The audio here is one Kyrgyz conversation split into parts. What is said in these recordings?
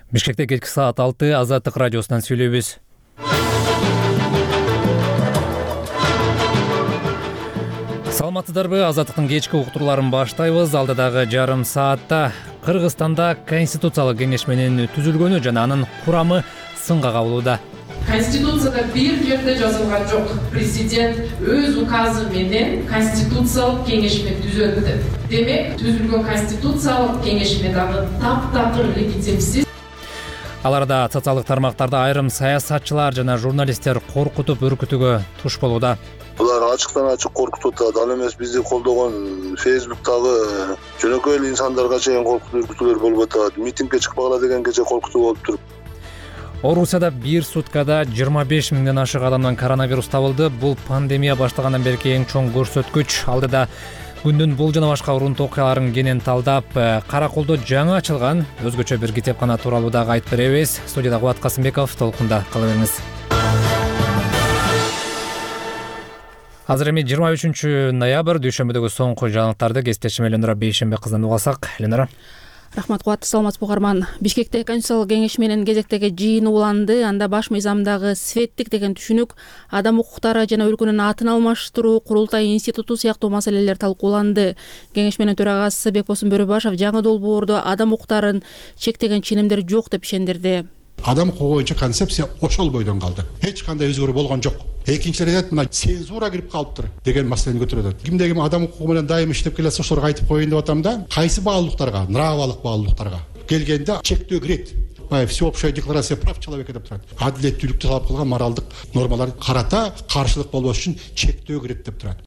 Бишкекте кечки саат 6 Азаттык радиосунан сүйлөйбүз. Саламатсыздарбы? Азаттыктын кечки уктурларын баштайбыз. Алдыдагы жарым саатта Кыргызстанда Конституциялык кеңеш менен түзүлгөнү жана анын курамы сынга кабылууда. Конституцияда бир жерде жазылган жок. Президент өз указы менен Конституциялык кеңешме түзөт деп. Демек, түзүлгөн Конституциялык кеңешме дагы таптакыр легитимсиз. Аларда социалдык тармактарда айрым саясатчылар жана журналисттер коркутуп үркүтүүгө туш болууда. Булар ачыктан ачык коркутуп атат. Ал эмес бизди колдогон Facebook'тагы жөнөкөй эле инсандарга чейин коркутуу үркүтүүлөр болуп атат. Митингге чыкпагыла дегенге коркутуу болуп туруп. Орусияда бир суткада 25 миңден ашык адамдан коронавирус табылды. Бул пандемия башталгандан берки эң чоң көрсөткүч. Алдыда күндүн бул жана башка урунтуу окуяларын кенен талдап, Караколдо жаңы ачылган өзгөчө бир китепкана тууралуу дагы айтып беребиз. Студияда Кубат Касымбеков, толкунда кала бериңиз. Азыр эми 23 ноябрь дүйшөмбүдөгү соңку жаңылыктарды кесиптешим Элнара Бейшенбек кызынан угасак. Элнара. Рахмат Кубат, саламатсызбы угарман. Бишкекте Конституциялык кеңеш менен кезектеги жыйын уланды. Анда баш мыйзамдагы светтик деген түшүнүк, адам укуктары жана өлкөнүн атын алмаштыруу, курултай институту сыяктуу маселелер талкууланды. Кеңеш менен төрагасы Бекбосун Бөрөбашев жаңы долбоордо адам укуктарын чектеген ченемдер жок деп ишендирди. Адам укугу боюнча концепция ошол бойдон калды. Эч кандай өзгөрүү болгон жок. Экинчи рет мына цензура кирип калыптыр деген маселени көтөрөт. Кимде ким адам укугу менен дайым иштеп келсе ошолорго айтып коеюн деп атам да. Кайсы баалуулуктарга, нравалык баалуулуктарга келгенде чектөө кирет. Всеобщая декларация прав человека деп турат. Адилеттүүлүктү талап кылган моралдык нормалар карата каршылык болбош үчүн чектөө кирет деп турат.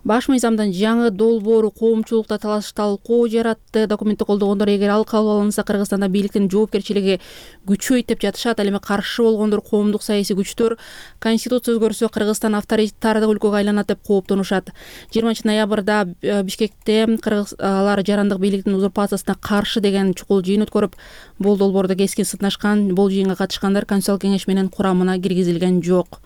Баш мыйзамдын жаңы долбоору коомчулукта талкуу жаратты. Документти колдогондор эгер ал кабыл алынса Кыргызстанда бийликтин жоопкерчилиги күчөйт деп жатышат. Ал эми каршы болгондор коомдук саясий күчтөр Конституция өзгөрсө Кыргызстан авторитардык өлкөгө айланат деп кооптонушат. 20 ноябрда Бишкекте кыргызлар жарандык бийликтин узурпациясына каршы деген чукул жыйын өткөрүп, бул долбоордо кескин сынашкан. Бул жыйынга катышкандар Конституциялык кеңеш менен курамына киргизилген жок.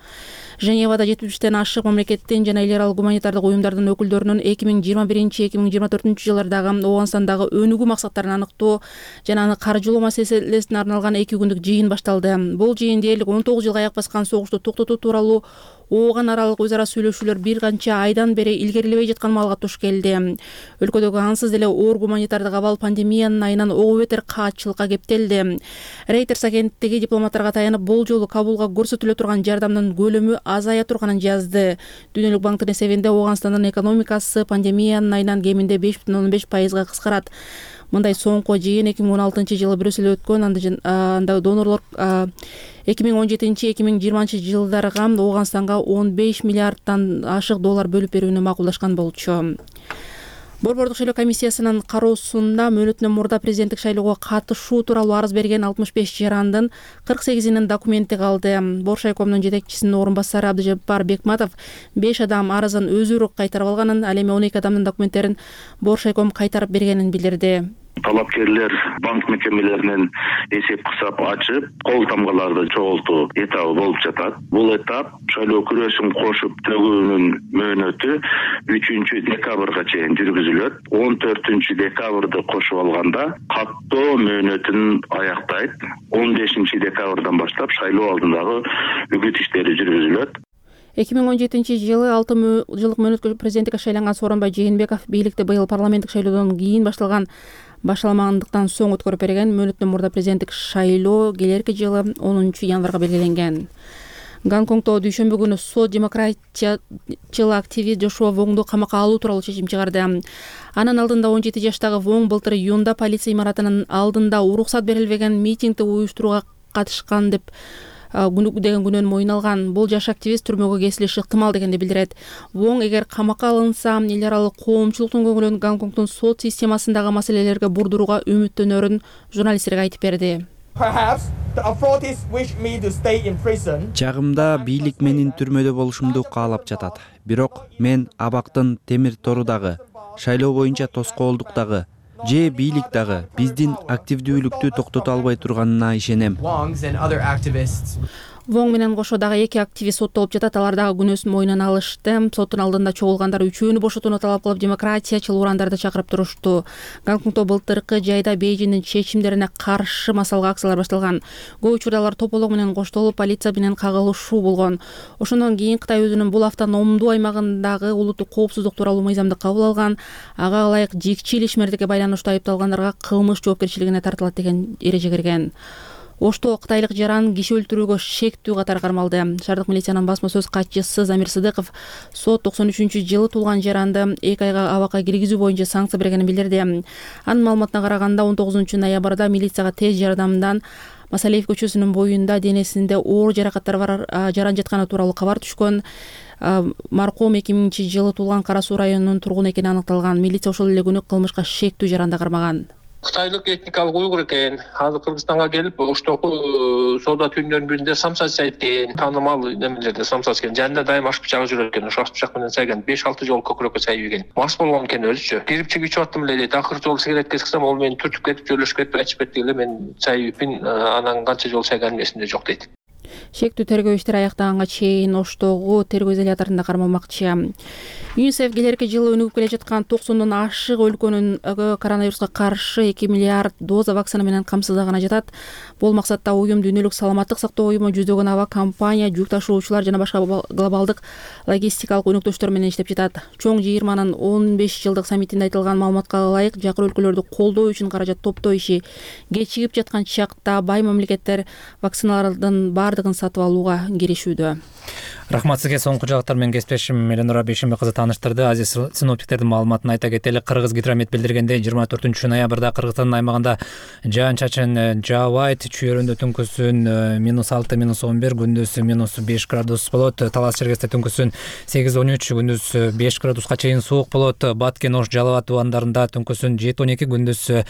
Женевада 70тен ашык мамлекеттин жана эл аралык гуманитардык уюмдардын өкүлдөрүнүн 2021-2024 жылдардагы Ооганстандагы өнүгүү максаттарын аныктоо жана аны каржылоо маселесине арналган 2 күндүк жыйын башталды. Бул жыйын дээрлик 19 жылга аяк баскан согушту токтотуу тууралуу Ооган аралык өз ара сүйлөшүүлөр бир канча айдан бери илгерилебей жаткан маалга туш келди. Өлкөдөгү ансыз деле оор гуманитардык абал пандемиянын айынан ого бетер каатчылыкка кептелди. Reuters агенттиги дипломаттарга таянып бул жолу Кабулга көрсөтүлө турган жардамдын көлөмү азая турганын жазды. Дүйнөлүк банктын эсебинде Ооганстандын экономикасы пандемиянын айынан кеминде 5,15% кыскарат. Мындай соңку жыйын 2016 жылы Брюсселде өткөн. Анда донорлор 2017-2020 жылдарга Ооганстанга 15 миллиардтан ашык доллар бөлүп берүүнү макулдашкан болчу. Борбордук шайлоо комиссиясынын кароосунда мөөнөтүнөн мурда президенттик шайлоого катышуу тууралуу арыз берген 65 жарандын 48-нин документи калды. Боршайкомдун жетекчисинин орун басары Абдыжаппар Бекматов 5 адам арызын өзүрө кайтарып алганын, ал эми 12 адамдын документтерин Боршайком кайтарып бергенин билдирди. Талапкерлер банк мекемелеринен эсеп кысап ачып, кол тамгаларды чогултуу этабы болуп жатат. Бул этап шайлоо күрөшүн кошуп төгүүнүн мөөнөтү 3 декабрга чейин жүргүзүлөт. 14 декабрды кошуп алганда каттоо мөөнөтүн аяктайт. 15 декабрдан баштап шайлоо алдындагы үгүт иштери жүргүзүлөт. 2017 жылы 6 жылдык мөөнөткө президенттикке шайланган Сооронбай Жээнбеков бийликти быйыл парламенттик шайлоодон кийин башталмагандыктан соң өткөрүп берген. Мөөнөтүнөн мурда президенттик шайлоо келерки жылы 10 январга белгиленген. Гонконгдо дүйшөмбү күнү сот демократчыл активист Жошуа Воңду камакка алуу тууралуу чечим чыгарды. Анын алдында 17 жаштагы Воң былтыр июнда полиция имаратынын алдында уруксат берилбеген митингди уюштурууга катышкан деп деген күнөөнү мойнуна алган. Бул жаш активист түрмөгө кесилиши ыктымал дегенди билдирет. Воң эгер камакка алынса, эл аралык коомчулуктун көңүлүн Гонконгдун сот системасындагы маселелерге бурдурууга үмүттөнөрүн журналисттерге айтып берди. Чагымда бийлик менин түрмөдө болушумду каалап жатат. Бирок мен абактын темир торудагы, шайлоо боюнча тоскоолдуктагы же бийлик дагы биздин активдүүлүктү токтото албай турганына ишенем. Воң менен кошо дагы 2 активист соттолуп жатат. Алар дагы күнөөсүн мойнуна алышты. Соттун алдында чогулгандар үчөөнү бошотууну талап кылып демократиячыл урандарды чакырып турушту. Гонконгдо былтыркы жайда Бейжиңдин чечимдерине каршы массалык акциялар башталган. Көп учурда алар тополок менен коштолуп, полиция менен кагылышуу болгон. Ошондон кийин Кытай өзүнүн бул автономдуу аймагындагы улуттук коопсуздук тууралуу мыйзамды кабыл алган. Ага ылайык жикчил ишмердикке байланыштуу айыпталгандарга кылмыш жоопкерчилигине тартылат деген эреже кирген. Ошто кытайлык жаран киши өлтүрүүгө шектүү катары кармалды. Шаардык милициянын басма сөз катчысы Замир Сыдыков сот 93-жылы туулган жаранды 2 айга абакка киргизүү боюнча санкция бергенин билдирди. Анын маалыматына караганда 19-ноябрда милицияга тез жардамдан Масалиев көчөсүнүн боюнда денесинде оор жаракаттар бар жаран жатканы тууралуу кабар түшкөн. Маркум 2000-жылы туулган Кара Суу районунун тургуну экени аныкталган. Милиция ошол эле күнү кылмышка шектүү жаранда кармаган. Кытайлык этникалык уйгур экен. Азыр Кыргызстанга келип, оштогу соода түйүндөрүнүн биринде самса сайттен таанымал немелерде самса экен. Жанында дайым аш бычагы жүрөт экен. Ошо аш бычак менен сайган 5-6 жолу көкүрөккө сайып ийген. Мас болгон экен өзүчө. Кирип чыгып аттым эле дейт. Акыркы жолу сигарет кескисем, ол мени түртүп кетип, жөлөшүп кетип, ачып кетти эле. Мен сайыппин, анан канча жолу сайганым эсимде жок дейт. Шектүү тергөө иштери аяктаганга чейин Оштогу тергөө изоляторунда кармалмакчы. ЮНИСЕФ келерки жылы өнүгүп келе жаткан 90дон ашык өлкөнүн коронавируска каршы 2 миллиард доза вакцина менен камсыздаганы жатат. Бул максатта уюм Дүйнөлүк саламаттык сактоо уюму, жүздөгөн аба компания, жүк ташуучулар жана башка глобалдык логистикалык өнөктөштөр менен иштеп жатат. Чоң жыйырманын 15 жылдык саммитинде айтылган маалыматка ылайык, жакыр өлкөлөрдү колдоо үчүн каражат топтоо иши кечигип жаткан чакта бай мамлекеттер вакциналардын бардыгын сатып алууга киришүүдө. Рахмат сизге. Соңку жагаттар менен кесиптешим Эленора Бейшенбек кызы тааныштырды. Азиз синоптиктердин маалыматын айта кетели. Кыргыз гидромет билдиргендей 24-ноябрда Кыргызстандын аймагында жаан чачын жаабайт. Чүйөрүндө түнкүсүн -6, -11, күндүз -5 градус болот. Талас Чергесте түнкүсүн 8-13, күндүз 5 градуска чейин суук болот. Баткен, Ош, Жалал Абад тубандарында түнкүсүн 7-12, күндүз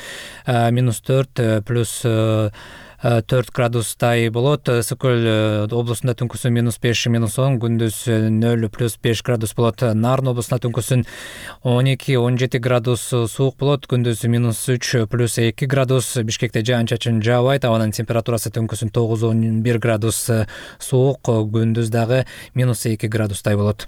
-4 плюс 4 градустай болот. Ысык көл облусунда түнкүсүн -5, -10, күндүз 0 плюс 5 градус болот. Нарын облусунда түнкүсүн 12-17 градус суук болот, күндүз -3 плюс 2 градус. Бишкекте жаан чачын жаабайт, абанын температурасы түнкүсүн 9-11 градус суук, күндүз дагы -2 градустай болот.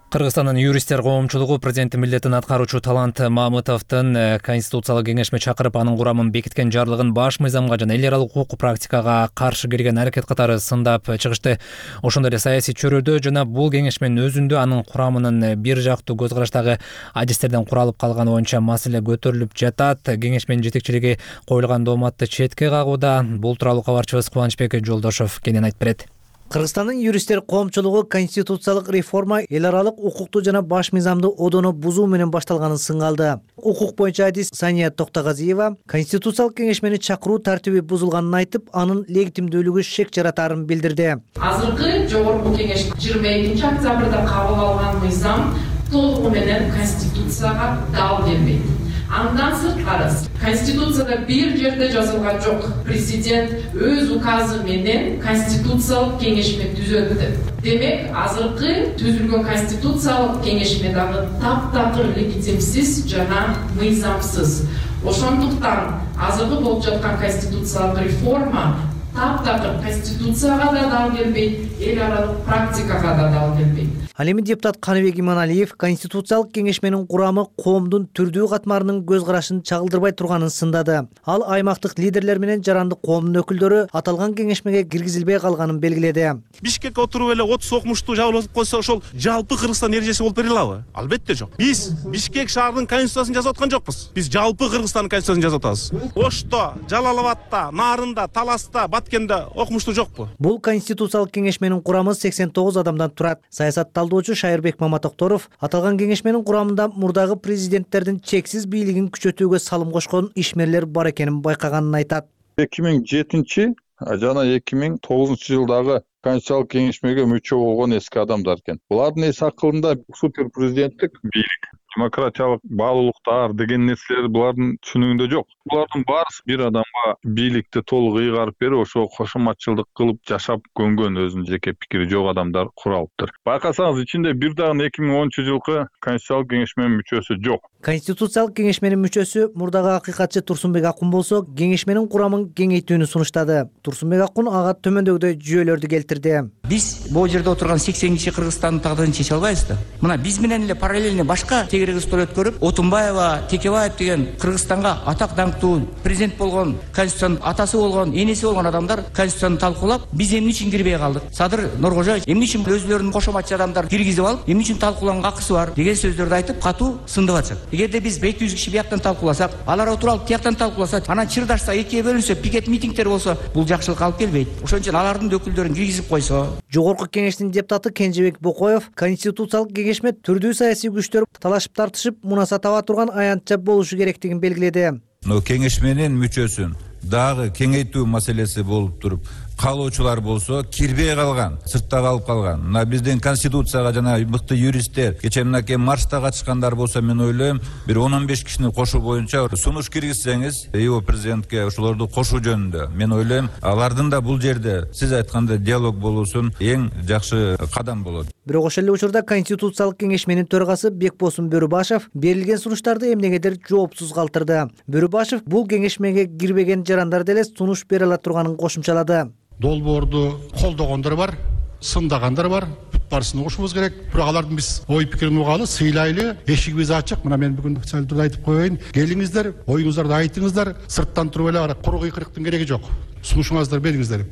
Кыргызстандын юристтер коомчулугу президенттин милдетин аткаруучу Талант Мамытовдун Конституциялык кеңешме чакырып, анын курамын бекиткен жарлыгын баш мыйзамга жана эл аралык укук практикага каршы келген аракет катары сындап чыгышты. Ошондой эле саясий чөйрөдө жана бул кеңешменин өзүндө анын курамынын бир жактуу көз караштагы адистерден куралып калганы боюнча маселе көтөрүлүп жатат. Кеңешменин жетекчилиги коюлган дооматты четке кагууда. Бул тууралуу кабарчыбыз Кубанычбек Жолдошов кенен айтып берет. Кыргызстандын юристтер коомчулугу конституциялык реформа эл аралык укукту жана баш мыйзамды одоно бузуу менен башталганын сыңалды. Укук боюнча адис Сания Токтогазиева конституциялык кеңешмени чакыруу тартиби бузулганын айтып, анын легитимдүүлүгү шек жаратарын билдирди. Азыркы жогорку кеңеш 22 октябрда кабыл алган мыйзам толугу менен конституцияга дал келбейт. Андан сырткары Конституцияда бир жерде жазылган жок. Президент өз указы менен конституциялык кеңешме түзөттү. Демек, азыркы түзүлгөн конституциялык кеңешме дагы таптакыр легитимсиз жана мыйзамсыз. Ошондуктан азыркы болуп жаткан конституциялык реформа таптакыр конституцияга да дал келбейт, эл аралык практикага да дал келбейт. Ал эми депутат Каныбек Иманалиев конституциялык кеңешменин курамы коомдун түрдүү катмарынын көз карашын чагылдырбай турганын сындады. Ал аймактык лидерлер менен жарандык коомдун өкүлдөрү аталган кеңешмеге киргизилбей калганын белгиледи. Бишкекке отуруп эле 30 окумуштуу жабылып койсо, ошол жалпы Кыргызстан эрежеси болуп бере алабы? Албетте жок. Биз Бишкек шаарынын конституциясын жазып аткан жокпуз. Биз жалпы Кыргызстандын конституциясын жазып атабыз. Ошто, Жалал Абадта, Нарында, Таласта, Баткенде окумуштуу жокпу? Бул конституциялык кеңешменин курамы 89 адамдан турат. Саясатталдоочу Шайырбек Маматокторов аталган кеңешменин курамында мурдагы президенттердин чексиз бийлигин күчөтүүгө салым кошкон ишмерлер бар экенин байкаганын айтат. 2007 жана 2009 жылдагы конституциялык кеңешмеге мүчө болгон эски адамдар экен. Булардын эс акылында супер президенттик бийлик демократиялык баалуулуктар деген нерселер булардын түшүнүгүндө жок. Булардын баарысы бир адамга бийликти толук ыйгарып берип, ошо кошоматчылдык кылып жашап көнгөн, өзүнүн жеке пикири жок адамдар куралыптыр. Байкасаңыз, ичинде бир дагы 2010-жылкы Конституциялык кеңешменин мүчөсү жок. Конституциялык кеңешменин мүчөсү мурдагы акыйкатчы Турсунбек Акун болсо, кеңешменин курамын кеңейтүүнү сунуштады. Турсунбек Акун ага төмөндөгүдөй жүйөлөрдү келтирди. Биз бул жерде отурган 80 киши Кыргызстандын тагдырын чече албайбыз да. Мына биз менен эле параллельно башка Кыргызстан өткөрүп, Отунбаева, Текебаев деген Кыргызстанга атак даңктуу президент болгон, Конституциянын атасы болгон, энеси болгон адамдар Конституцияны талкуулап, биз эмне үчүн кирбей калдык? Садыр Нуркожоевич эмне үчүн өзүлөрүнүн кошоматчы адамдар киргизип алып, эмне үчүн талкуулаганга акысы бар деген сөздөрдү айтып, катуу сындып атышат. Эгерде биз 200 киши бияктан талкууласак, алар отуруп тияктан талкууласа, анан чырдашса, экиге бөлүнсө, пикет митингдер болсо, бул жакшылыкка алып келбейт. Ошон үчүн алардын өкүлдөрүн киргизип койсо. Жогорку кеңештин депутаты Кенжебек Бокоев Конституциялык кеңешме түрдүү саясий күчтөр талашып тартышып, мунаса таба турган аянтча болушу керектигин белгиледи. Кеңешменин мүчөсүн дагы кеңейтүү маселеси болуп туруп, калуучулар болсо кирбей калган, сыртта калып калган. Мына биздин конституцияга жана мыкты юристтер кечээ мынакей маршта катышкандар болсо, мен ойлойм, бир 10-15 кишини кошуу боюнча сунуш киргизсеңиз, ИО президентке ошолорду кошуу жөнүндө, мен ойлойм, алардын да бул жерде сиз айткандай диалог болуусун эң жакшы кадам болот. Бирок ошол эле учурда Конституциялык кеңешменин төрагасы Бекбосун Бөрүбашев берилген сунуштарды эмнегедир жоопсуз калтырды. Бөрүбашев бул кеңешмеге кирбеген жарандар деле сунуш бере ала турганын кошумчалады. Долбоорду колдогондор бар, сындагандар бар. Бүт баарысын угушубуз керек. Бирок алардын биз ой пикирин угалы, сыйлайлы, эшигибиз ачык. Мына мен бүгүн салдырды айтып коеюн. Келиңиздер, оюңуздарды айтыңыздар. Сырттан туруп эле куру кыйкырыктын кереги жок. Сунушуңузду бериңиздер.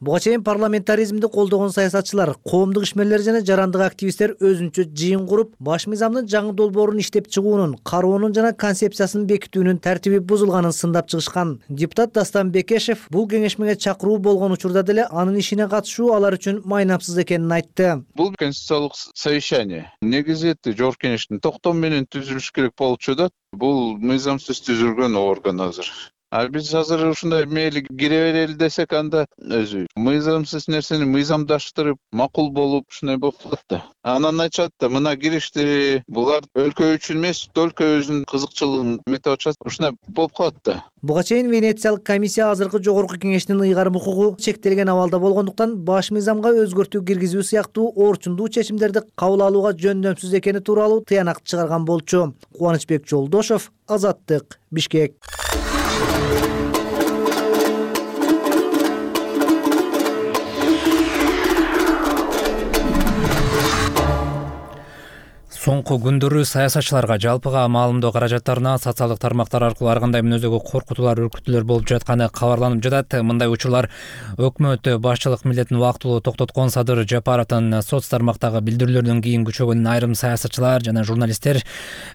Буга чейин парламентаризмди колдогон саясатчылар, коомдук ишмерлер жана жарандык активисттер өзүнчө жыйын куруп, баш мыйзамдын жаңы долбоорун иштеп чыгуунун, кароонун жана концепциясын бекитүүнүн тартиби бузулганын сындап чыгышкан. Депутат Дастан Бекешев бул кеңешмеге чакыруу болгон учурда деле анын ишине катышуу алар үчүн майнапсыз экенин айтты. Бул конституциялык совещание негизи жогорку кеңештин токтому менен түзүлүш керек болуп чыгат. Бул мыйзамсыз түзүлгөн орган азыр. Биз азыр ушундай мейли кире берели десек, анда өзү мыйзамсыз нерсени мыйзамдаштырып, макул болуп, ушундай болуп калат да. Анан айтышат да, мына киришти, булар өлкө үчүн эмес, өлкө өзүнүн кызыкчылыгын метип атышат. Ушундай болуп калат да. Буга чейин Венециялык комиссия азыркы жогорку кеңештин ыйгарым укугу чектелген абалда болгондуктан баш мыйзамга өзгөртүү киргизүү сыяктуу орчундуу чечимдерди кабыл алууга жөндөмсүз экени тууралуу тыянак чыгарган болчу. Кубанычбек Жолдошов, Азаттык, Бишкек. Соңку күндөрү саясатчыларга жалпыга маалымдоо каражаттарына социалдык тармактар аркылуу ар кандай мүнөздөгү коркутуулар, үркүтүүлөр болуп жатканы кабарланып жатат. Мындай учурлар өкмөт башчылык милдетин убактылуу токтоткон Садыр Жапаровдун соц тармактагы билдирүүлөрүнөн кийин күчөгөнүн айрым саясатчылар жана журналисттер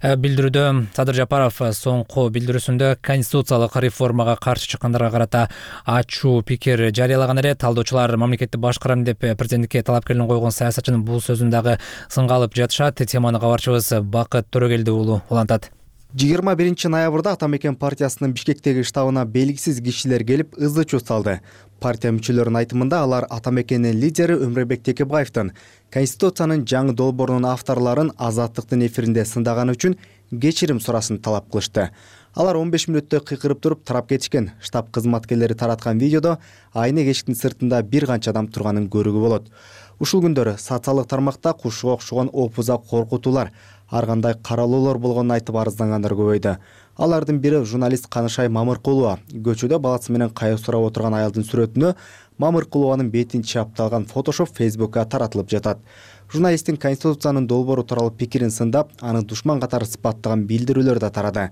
билдирүүдө. Садыр Жапаров соңку билдирүүсүндө конституциялык реформага каршы чыккандарга карата ачуу пикир жарыялаган эле. Талдоочулар мамлекетти башкарам деп президенттикке талапкерлигин койгон саясатчынын бул сөзүн дагы сынга алып жатышат. Теманы кабарчыбыз Бакыт Төрөгелди уулу улантат. 21-ноябрда Атамекен партиясынын Бишкектеги штабына белгисиз кишилер келип ызы чуу салды. Партия мүчөлөрүнүн айтымында алар Атамекенин лидери Өмүрбек Текебаевдин Конституциянын жаңы долбоорунун авторлорун Азаттыктын эфиринде сындаганы үчүн кечирим сурасын талап кылышты. Алар 15 мүнөттөй кыйкырып туруп тарап кетишкен. Штаб кызматкерлери тараткан видеодо айнек эшиктин сыртында бир канча адам турганын көрүүгө болот. Ушул күндөрү социалдык тармакта кушуга окшогон опуза коркутуулар, ар кандай каралоолор болгонун айтып арыздангандар көбөйдү. Алардын бири журналист Канышай Мамыркулова. Көчөдө баласы менен кайык сурап отурган аялдын сүрөтүнө Мамыркулованын бетин чапталган фотошоп Фейсбукка таратылып жатат. Журналисттин Конституциянын долбоору тууралуу пикирин сындап, аны душман катары сыпаттаган билдирүүлөр да тарады.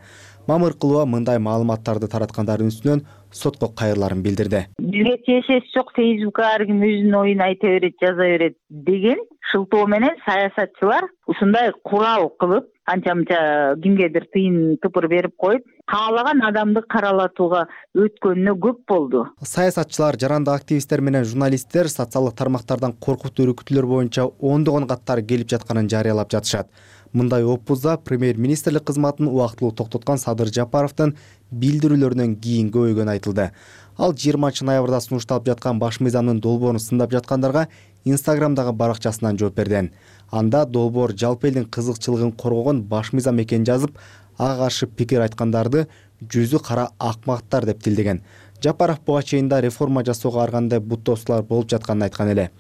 Мамыркулова мындай маалыматтарды тараткандардын үстүнөн сотко кайрыларын билдирди. Бизге тиешеси жок, Фейсбукка ар ким өзүнүн оюн айта берет, жаза берет деген шылтоо менен саясатчылар ушундай курал кылып, анча-мынча кимгедир тыйын тыпыр берип коюп, каалаган адамды каралатууга өткөнүнө көп болду. Саясатчылар, жарандык активисттер менен журналисттер социалдык тармактардан коркутуу үркүтүүлөр боюнча ондогон каттар келип жатканын жарыялап жатышат. Мындай опузда премьер-министрлик кызматын убактылуу токтоткон Садыр Жапаровдун билдирүүлөрүнөн кийин көбөйгөнү айтылды. Ал 20 ноябрда сунушталып жаткан баш мыйзамдын долбоорун сындап жаткандарга Инстаграмдагы баракчасынан жооп берди. Анда долбоор жалпы элдин кызыкчылыгын коргогон баш мыйзам экенин жазып, ага каршы пикир айткандарды жүзү кара акмактар деп тилдеген. Жапаров буга чейин да реформа жасоого ар кандай буттоосулар болуп жатканын айткан эле.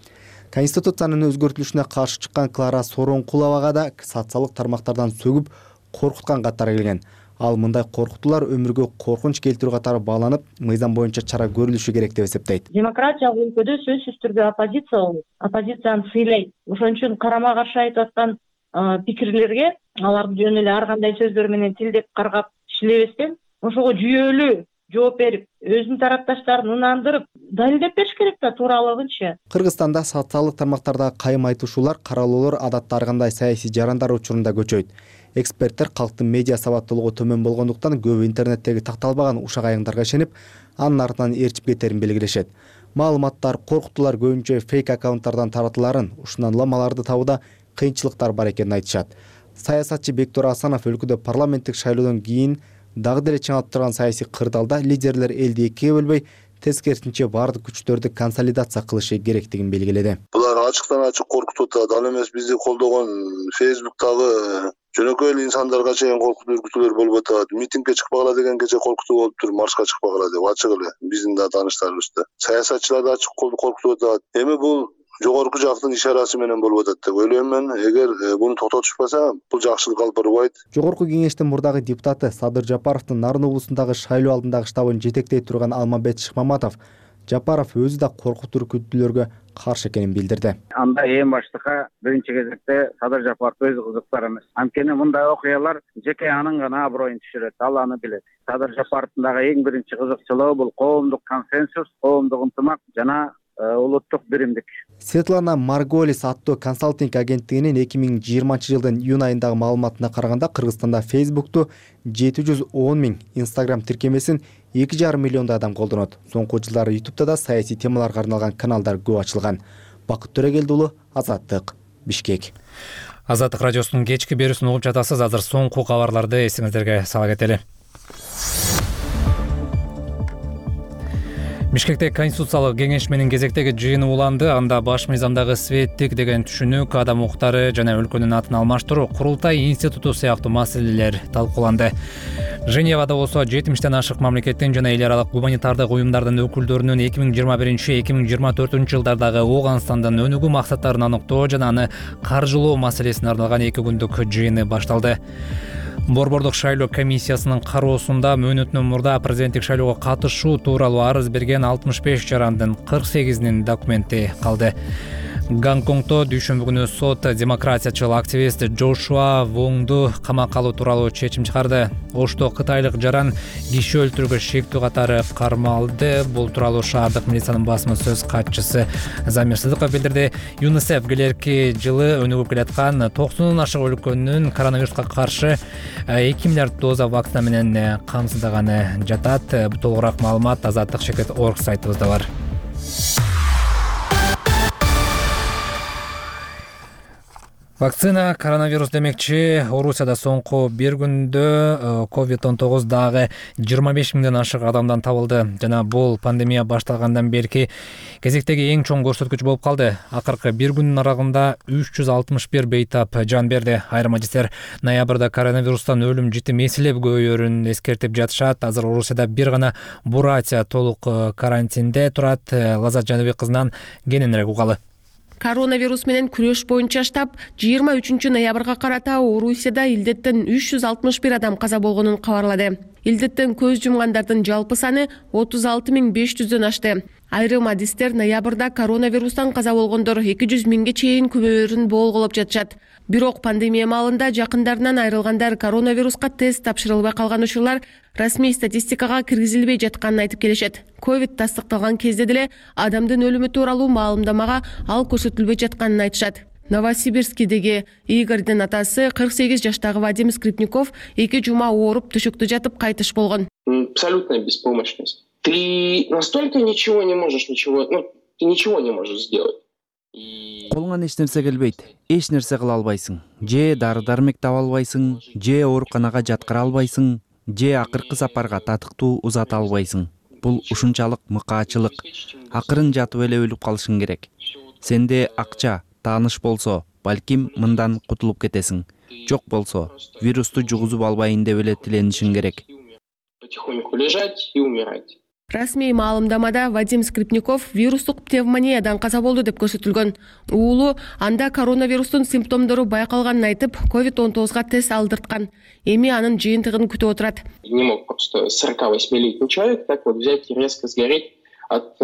Конституциянын өзгөртүлүшүнө каршы чыккан Клара Сооронкуловага да социалдык тармактардан сөгүп коркуткан каттар келген. Ал мындай коркутуулар өмүргө коркунч келтирүү катары бааланып, мыйзам боюнча чара көрүлүшү керек деп эсептейт. Демократиялык өлкөдө сөзсүз түрдө оппозиция болот. Оппозицияны сыйлайт. Ошон үчүн карама каршы айтып аткан пикирлерге аларды жөн эле ар кандай сөздөр менен тилдеп каргап иштелебестен, ошого жүйөлүү жооп берип, өзүнүн тарапташтарын ынандырып, далилдеп бериш керек да тууралыгынчы. Кыргызстанда социалдык тармактардагы кайым айтышуулар, каралоолор адатта ар кандай саясий жарандар учурунда көчөйт. Эксперттер калктын медиа сабаттуулугу төмөн болгондуктан көбү интернеттеги такталбаган ушак айыңдарга ишенип, анын артынан ээрчип кетерин белгилешет. Маалыматтар, коркутуулар көбүнчө фейк аккаунттардан таратыларын, ушундан ламаларды табууда кыйынчылыктар бар экенин айтышат. Саясатчы Бектур Асанов өлкөдө парламенттик шайлоодон кийин дагы деле чыңалып турган саясий кырдаалда лидерлер элди экиге бөлбөй, тескерисинче баардык күчтөрдү консолидация кылышы керектигин белгиледи. Булар ачыктан ачык коркутуп атат. Ал эмес бизди колдогон Facebook'тагы жөнөкөй эле инсандарга чейин коркутуу үркүтүүлөр болуп атат. Митингге чыкпагыла дегенге коркутуу болуптур, маршка чыкпагыла деп ачык эле биздин да тааныштарыбызда. Саясатчылар да ачык коркутуп атат. Эми бул жогорку жактын ишарасы менен болуп атат деп ойлойм мен. Эгер буну токтотушпаса, бул жакшылык алып барбайт. Жогорку кеңештин мурдагы депутаты Садыр Жапаровдун Нарын облусундагы шайлоо алдындагы штабын жетектей турган Алмамбет Шыкмаматов Жапаров өзү да коркутуу үркүтүүлөргө каршы экенин билдирди. Анда эң баштыкка биринчи кезекте Садыр Жапаров өзү кызыктар эмес. Анткени мындай окуялар жеке анын гана аброюн түшүрөт, ал аны билет. Садыр Жапаровдун дагы эң биринчи кызыкчылыгы бул коомдук консенсус, коомдук ынтымак жана улуттук биримдик. Светлана Марголис аттуу консалтинг агенттигинин 2020 жылдын июнь айындагы маалыматына караганда Кыргызстанда Facebook'ту 710 000, Instagram тиркемесин 2,5 миллиондой адам колдонот. Соңку жылдары YouTube'да да саясий темаларга арналган каналдар көп ачылган. Бакыт Төрөгелди уулу, Азаттык, Бишкек. Азаттык радиосунун кечки берүүсүн угуп жатасыз. Азыр соңку кабарларды эсиңиздерге сала кетели. Бишкекте Конституциялык кеңешменин кезектеги жыйыны уланды. Анда баш мыйзамдагы светтик деген түшүнүк, адам укуктары жана өлкөнүн атын алмаштыруу, курултай институту сыяктуу маселелер талкууланды. Женевада болсо 70тен ашык мамлекеттин жана эл аралык гуманитардык уюмдардын өкүлдөрүнүн 2021-2024 жылдардагы Ооганстандын өнүгүү максаттарын аныктоо жана аны каржылоо маселесине арналган 2 күндүк жыйыны башталды. Борбордук шайлоо комиссиясынын кароосунда мөөнөтүнөн мурда президенттик шайлоого катышуу тууралуу арыз берген 65 жарандын 48-нин документи калды. Гонконгдо дүйшөмбү күнү сот демократиячыл активист Джошуа Вонгду камакка алуу тууралуу чечим чыгарды. Ошто кытайлык жаран киши өлтүрүүгө шектүү катары кармалды. Бул тууралуу шаардык милициянын басма сөз катчысы Замир Сыдыков билдирди. ЮНИСЕФ келерки жылы өнүгүп келаткан 90 ашык өлкөнүн коронавируска каршы 2 миллиард доза вакцина менен камсыздаганы жатат. Толугураак маалымат Азаттык.org сайтыбызда бар. Вакцина коронавирус демекчи. Орусияда соңку бир күндө COVID-19 дагы 25 миңден ашык адамдан табылды. Жана бул пандемия башталгандан берки кезектеги эң чоң көрсөткүч болуп калды. Акыркы бир күндүн аралыгында 361 бейтап жан берди. Айрым адистер ноябрда коронавирустан өлүм житим эселеп көбөйөрүн эскертип жатышат. Азыр Орусияда бир гана Буратия толук карантинде турат. Лазат Жаныбек кызынан кененирээк угалы. Коронавирус менен күрөш боюнча штаб 23 ноябрга карата Орусияда илдеттен 361 адам каза болгонун кабарлады. Илдеттен көз жумгандардын жалпы саны 36 500дөн ашты. Айрым адистер ноябрда коронавирустан каза болгондор 200 миңге чейин көбөйөрүн болголоп жатышат. Бирок пандемия маалында жакындарынан айрылгандар коронавируска тест тапшырылбай калган учурлар расмий статистикага киргизилбей жатканын айтып келишет. Ковид тастыкталган кезде деле адамдын өлүмү тууралуу маалымдамага ал көрсөтүлбөй жатканын айтышат. Новосибирскидеги Игорьдин атасы 48 жаштагы Вадим Скрипников 2 жума ооруп төшөктө жатып кайтыш болгон. Абсолютная беспомощность. Ты настолько ничего не можешь сделать. Колуңан эч нерсе келбейт, эч нерсе кыла албайсың. Же дары-дармек таба албайсың, же ооруканага жаткыра албайсың, же акыркы сапарга татыктуу узата албайсың. Бул ушунчалык мыкаачылык. Акырын жатып эле өлүп калышың керек. Сенде акча, тааныш болсо, балким мындан кутулуп кетесиң. Жок болсо, вирусту жугузуп албайын деп эле тиленишиң керек. Потихоньку лежать и умирать. Расмий маалымдамада Вадим Скрипников вирустук пневмониядан каза болду деп көрсөтүлгөн. Уулу анда коронавирустун симптомдору байкалганын айтып, COVID-19 тест алдырткан. Эми анын жыйынтыгын күтүп отурат. Не мог просто 48-летний человек так вот взять и резко сгореть от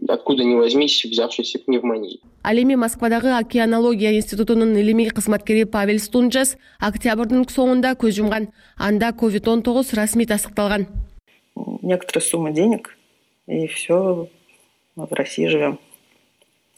откуда ни возьмись взявшейся пневмонии. Ал эми Москвадагы океанология институтунун илимий кызматкери Павел Стунжас октябрдын соңунда көз жумган. Анда COVID-19 расмий тастыкталган. Некоторая сумма денег, и все, в России живем.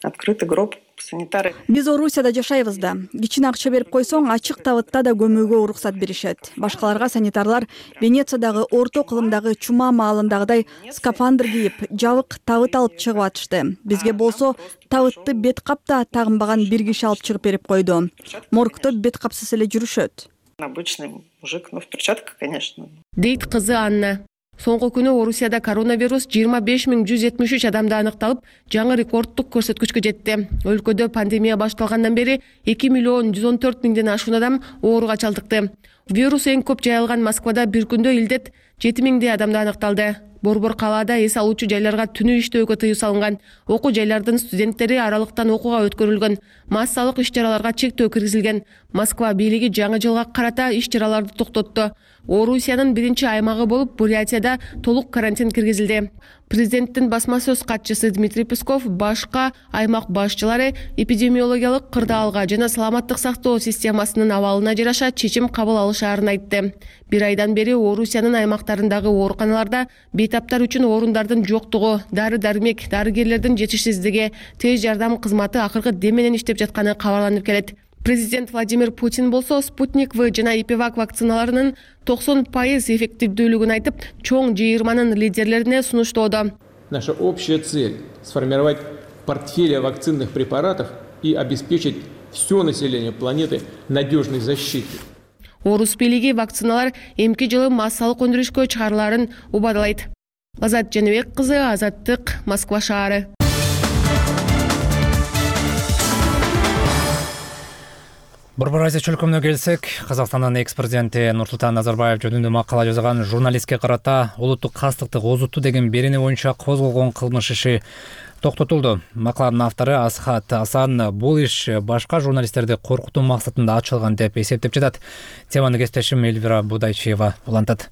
Открытый гроб, санитары. Биз Орусияда жашайбыз да. Кичине акча берип койсоң, ачык табытта да көмүүгө уруксат беришет. Башкаларга санитарлар Венециядагы орто кылымдагы чума маалындагыдай скафандр кийип, жабык табыт алып чыгып атышты. Бизге болсо табытты бет капта тагынбаган бир киши алып чыгып берип койду. Моргто бет капсыз эле жүрүшөт. Обычный мужик, в перчатках, конечно. Дейт кызы Анна. Соңку күнү Орусияда коронавирус 25.173 адамда аныкталып, жаңы рекордтук көрсөткүчкө жетти. Өлкөдө пандемия башталгандан бери 2.114.000ден ашуун адам ооруга чалдыкты. Вирус эң көп жайылган Москвада бир күндө илдет 7.000 адамда аныкталды. Борбор калаада эс алуучу жайларга түнү иштөөгө тыюу салынган. Окуу жайлардын студенттери аралыктан окууга өткөрүлгөн. Массалык иш-чараларга чектөө киргизилген. Москва бийлиги жаңы жылга карата иш-чараларды токтотту. Орусиянын биринчи аймагы болуп Бурятияда толук карантин киргизилди. Президенттин басма сөз катчысы Дмитрий Песков башка аймак башчылары эпидемиологиялык кырдаалга жана саламаттык сактоо системасынын абалына жараша чечим кабыл алышаарын айтты. Бир айдан бери Орусиянын аймактарындагы ооруканаларда бейтаптар үчүн орундардын жоктугу, дары-дармек, дарыгерлердин жетишсиздиги, тез жардам кызматы акыркы дем менен иштеп жатканы кабарланып келет. Президент Владимир Путин болсо Спутник В жана Ипивак вакциналарынын 90% эффективдүүлүгүн айтып, чоң жыйырманын лидерлерине сунуштоодо. Наша общая цель – сформировать портфель вакцинных препаратов и обеспечить все население планеты надежной защитой. Орус бийлиги вакциналар эмки жылы массалык өндүрүшкө чыгарыларын убадалайт. Азат Жаныбек кызы, Азаттык, Москва шаары. Борбор Азия чөлкөмүнө келсек, Казакстандын экс-президенти Нурсултан Назарбаев жөнүндө макала жазган журналистке карата улуттук кастыкты козутту деген берени боюнча козголгон кылмыш иши токтотулду. Макаланын автору Асхат Асан бул иш башка журналисттерди коркутуу максатында ачылган деп эсептеп жатат. Теманы кесиптешим Эльвира Будайчиева улантат.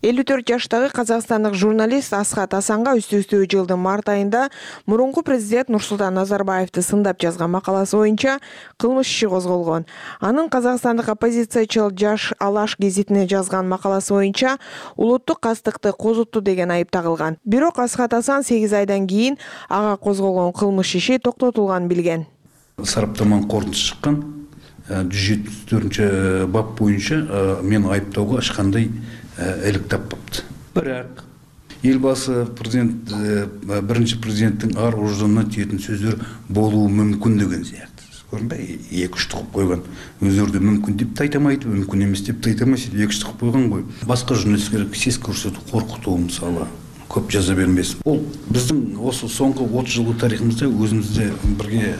54 жаштагы казакстандык журналист Асхат Асанга үстү-үстү жылдын март айында мурунку президент Нурсултан Назарбаевди сындап жазган макаласы боюнча кылмыш иши козголгон. Анын казакстандык оппозициячыл Жаш Алаш гезитине жазган макаласы боюнча улуттук кастыкты козутту деген айып тагылган. Бирок Асхат Асан 8 айдан кийин ага козголгон кылмыш иши токтотулганын билген. Сараптаманын корутуусу чыккан 174 бап боюнча мен айыптоого эч кандай элек таппапты. Бирок элбасы президент биринчи президенттин ар ождонуна тиетін сөздөр болуу мүмкүн деген сыяктуу. Көрүнбөй, 2-3 кылып койгон. Өздөрү мүмкүн деп айтамайт, мүмкүн эмес деп айтамайт, 2-3 кылып койгон го. Башка журналисттер сес көрсөтүп коркутуу мисалы көп жаза бермесин. Бул биздин осы соңку 30 жылдык тарыхыбызда өзүбүздө бирге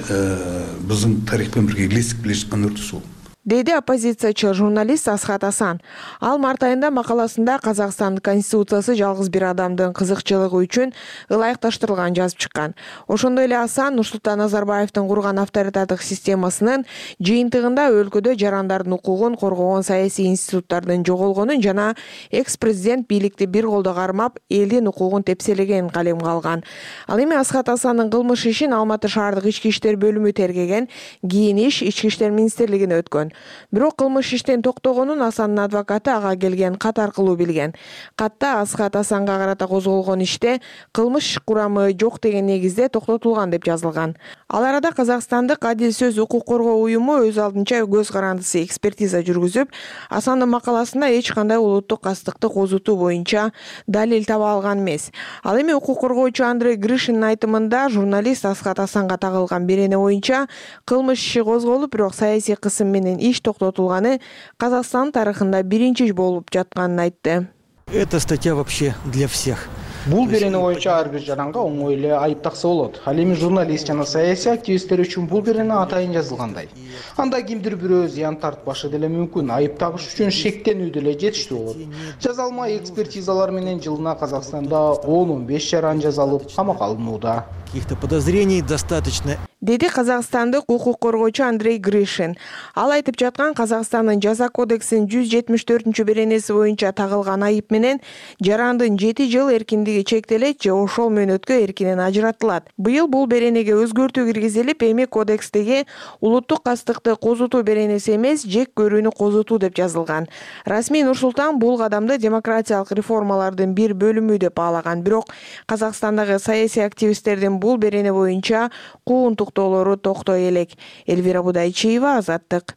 биздин тарих менен бирге илесип келе жаткан үрдүс бул. Деди оппозициячыл журналист Асхат Асан. Ал март айында макаласында Казакстандын конституциясы жалгыз бир адамдын кызыкчылыгы үчүн ылайыкташтырылганын жазып чыккан. Ошондой эле Асан Нурсултан Назарбаевдин курган авторитардык системасынын жыйынтыгында өлкөдө жарандардын укугун коргогон саясий институттардын жоголгонун жана экс-президент бийликти бир колдо кармап, элдин укугун тепселегенин калемге алган. Ал эми Асхат Асандын кылмыш ишин Алматы шаардык ички иштер бөлүмү тергеген, кийин иш ички иштер министрлигине өткөн. Бирок кылмыш иштен токтогонун Асандын адвокаты ага келген кат аркылуу билген. Катта Асхат Асанга карата козголгон иште кылмыш курамы жок деген негизде токтотулган деп жазылган. Ал арада Казакстандык Адил сөз укук коргоо уюму өз алдынча көз карандысы экспертиза жүргүзүп, Асандын макаласында эч кандай улуттук кастыкты козутуу боюнча далил таба алган эмес. Ал эми укук коргоочу Андрей Гришиндин айтымында журналист Асхат Асанга тагылган берени боюнча кылмыш иши козголуп, бирок саясий кысым менен иш токтотулганы Казакстан тарыхында биринчи болуп жатканын айтты. Эта статья вообще для всех. Бул берене боюнча ар бир жаранга оңой эле айып такса болот. Ал эми журналист жана саясий активисттер үчүн бул берене атайын жазылгандай. Анда кимдир бирөө зыян тартпашы деле мүмкүн. Айып тагыш үчүн шектенүү деле жетиштүү болот. Жазалма экспертизалар менен жылына Казакстанда 10-15 жаран жазалып камакка алынууда. Каких-то подозрений достаточно. Деди казакстандык укук коргоочу Андрей Гришин. Ал айтып жаткан Казакстандын жаза кодексинин 174 беренеси боюнча тагылган айып менен жарандын 7 жыл эркиндиги чектелет же ошол мөөнөткө эркинен ажыратылат. Быйыл бул беренеге өзгөртүү киргизилип, эми кодекстеги улуттук кастыкты козутуу беренеси эмес, жек көрүүнү козутуу деп жазылган. Расмий Нур-Султан бул кадамды демократиялык реформалардын бир бөлүмү деп баалаган. Бирок Казакстандагы саясий активисттердин бул берене боюнча кууntуктоолору токтой элек. Элвира Будайчиева, Азаттык.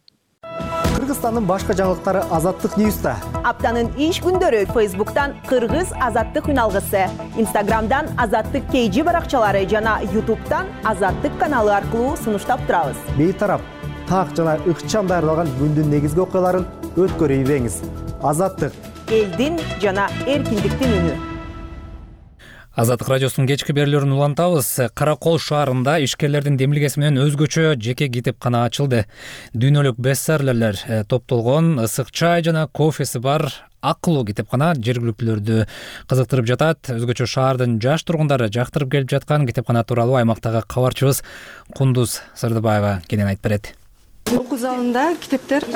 Кыргызстандын башка жаңылыктары Азаттык Ньюста. Аптанын иш күндөрү Facebook'tan Кыргыз Азаттык үналгысы, Instagram'dan Азаттык KG баракчалары жана YouTube'дан Азаттык каналы аркылуу сунуштап турабыз. Бейтарап, так жана ыкчам даярдалган күндүн негизги окуяларын өткөрүп ийбеңиз. Азаттык, элдин жана эркиндиктин үнү. Азаттык радиосунун кечки берүүлөрүн улантабыз. Каракол шаарында ишкерлердин демилгеси менен өзгөчө жеке китепкана ачылды. Дүйнөлүк бестселлерлер топтолгон ысык чай жана кофеси бар акылуу китепкана жергиликтүүлөрдү кызыктырып жатат. Өзгөчө шаардын жаш тургундары жактырып келип жаткан китепкана тууралуу аймактагы кабарчыбыз Кундуз Сырдыбаева кенен айтып берет. Окуу залында китептер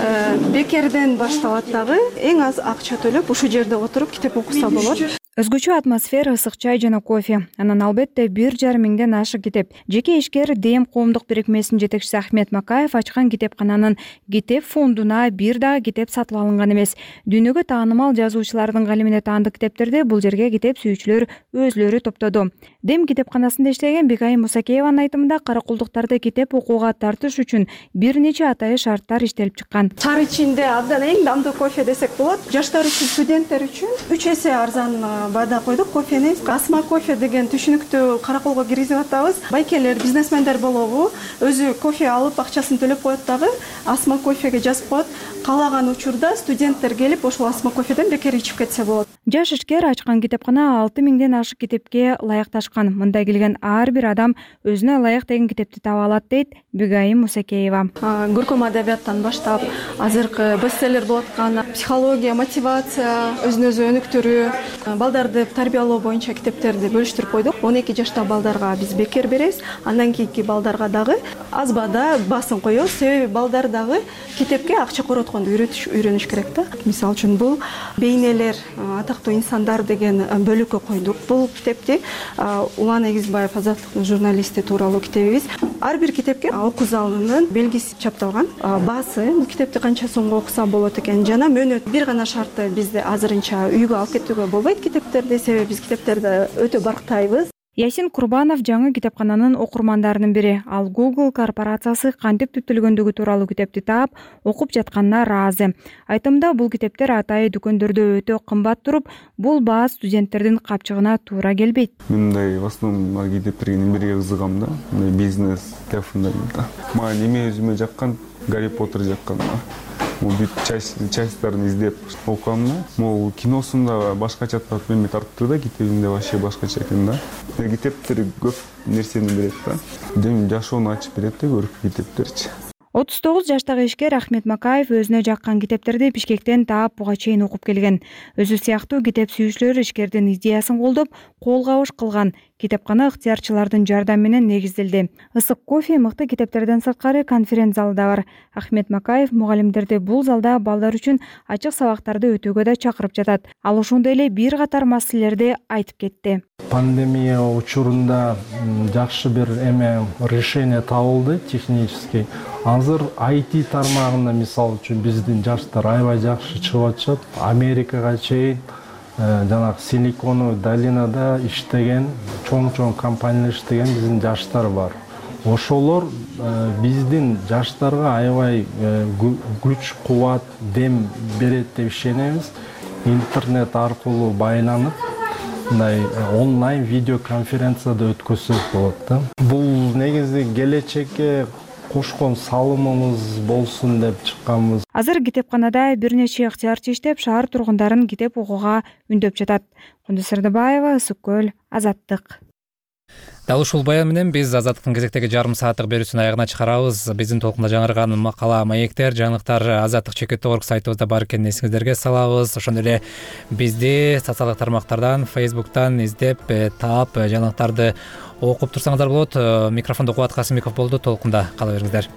бекерден башталат дагы. Эң аз акча төлөп ушул жерде отуруп китеп окуса болот. Өзгөчө атмосфера, ысык чай жана кофе. Анан албетте 1,5 миңден ашык китеп. Жеке ишкер ДЭМ коомдук бирикмесинин жетекчиси Ахмет Макаев ачкан китепкананын китеп фондуна бир дагы китеп сатып алынган эмес. Дүйнөгө таанымал жазуучулардын калемине таандык китептерди бул жерге китеп сүйүүчүлөр өзлөрү топтоду. ДЭМ китепканасында иштеген Бигайым Мусакееванын айтымында каракулдуктарды китеп окууга тартыш үчүн бир нече атайы шарттар иштелип чыккан. Шаар ичинде абдан эң дамдуу кофе десек болот. Жаштар үчүн, студенттер үчүн 3 эсе арзан баада койдук кофени. Асма кофе деген түшүнүктүү караколго киргизип атабыз. Байкелер, бизнесмендер болобу, өзү кофе алып акчасын төлөп коет дагы асма кофеге жазып коет. Каалаган учурда студенттер келип ошол асма кофеден бекер ичип кетсе болот. Жаш ишкер ачкан китепкана 6 миңден ашык китепке ылайыкташкан. Мында келген ар бир адам өзүнө ылайык деген китепти таба алат дейт Бигайым Мусакеева. Көркөм адабияттан баштап азыркы бестселлер болуп аткан психология, мотивация, өзүн өзү өнүктүрүү, балдарды тарбиялоо боюнча китептерди бөлүштүрүп койдук. 12 жаштагы балдарга биз бекер беребиз. Андан кийинки балдарга дагы аз баада басын коебуз. Себеби балдар дагы китепке акча коротконду үйрөнүш керек да. Мисалы үчүн бул бейнелер, атактуу инсандар деген бөлүккө койдук. Бул китепти Улан Эгизбаев, Азаттыктын журналисти тууралуу китебибиз. Ар бир китепке окуу залынын белгиси чапталган. Баасы, бул китепти канча сомго окуса болот экен жана мөөнөт. Бир гана шарты бизде азырынча үйгө алып кетүүгө болбойт китептерди, себеби биз китептерди өтө барктайбыз. Ясин Курбанов жаңы китепкананын окурмандарынын бири. Ал Google корпорациясы кантип түптөлгөндүгү тууралуу китепти таап, окуп жатканына ыраазы. Айтымда бул китептер атайы дүкөндөрдө өтө кымбат туруп, бул баа студенттердин капчыгына туура келбейт. Мындай в основном китептерге эмнеге кызыгам да, бизнес тарафында. Мага неме өзүмө жаккан, Гарри Поттер жаккан. Бүт частьтарын издеп окугам да. Могу киносунда башкача татмени тартты да, китебинде вообще башкача экен да. Китептер көп нерсени берет да. Дем жашоону ачып берет да көрүп китептерчи. 39 жаштагы ишкер Ахмет Макаев өзүнө жаккан китептерди Бишкектен таап буга чейин окуп келген. Өзү сыяктуу китеп сүйүүчүлөр ишкердин идеясын колдоп, кол кабыш кылган. Китепкана ыктыярчылардын жардамы менен негизделди. Ысык кофе мыкты китептерден сырткары конференц залы да бар. Ахмет Макаев мугалимдерди бул залда балдар үчүн ачык сабактарды өтүүгө да чакырып жатат. Ал ошондой эле бир катар маселелерди айтып кетти. Пандемия учурунда жакшы бир решение табылды технический. Азыр IT тармагында мисалы үчүн биздин жаштар аябай жакшы чыгып атышат. Америкага чейин жанагы Силиконовый долинада иштеген, чоң компаниялар иштеген биздин жаштар бар. Ошолор биздин жаштарга аябай күч, кубат, дем берет деп ишенебиз. Интернет аркылуу байланып, мындай онлайн видеоконференцияда өткөзсөк болот да. Бул негизи келечекке кошкон салымыбыз болсун деп чыкканбыз. Азыр китепканада бир нече ыктыярчы иштеп, шаар тургундарын китеп окууга үндөп жатат. Кундуз Сырдыбаева, Ысык көл, Азаттык. Дал ушул баян менен биз Азаттыктын кезектеги жарым сааттык берүүсүн аягына чыгарабыз. Биздин толкунда жаңырган макала, маектер, жаңылыктар Азаттык /org сайтыбызда бар экенин эсиңиздерге салабыз. Ошондой эле бизди социалдык тармактардан, Facebook'тан издеп, таап, жаңылыктарды окуп турсаңыздар болот. Микрофондо Кубат Касымбеков болду. Толкунда кала бериңиздер.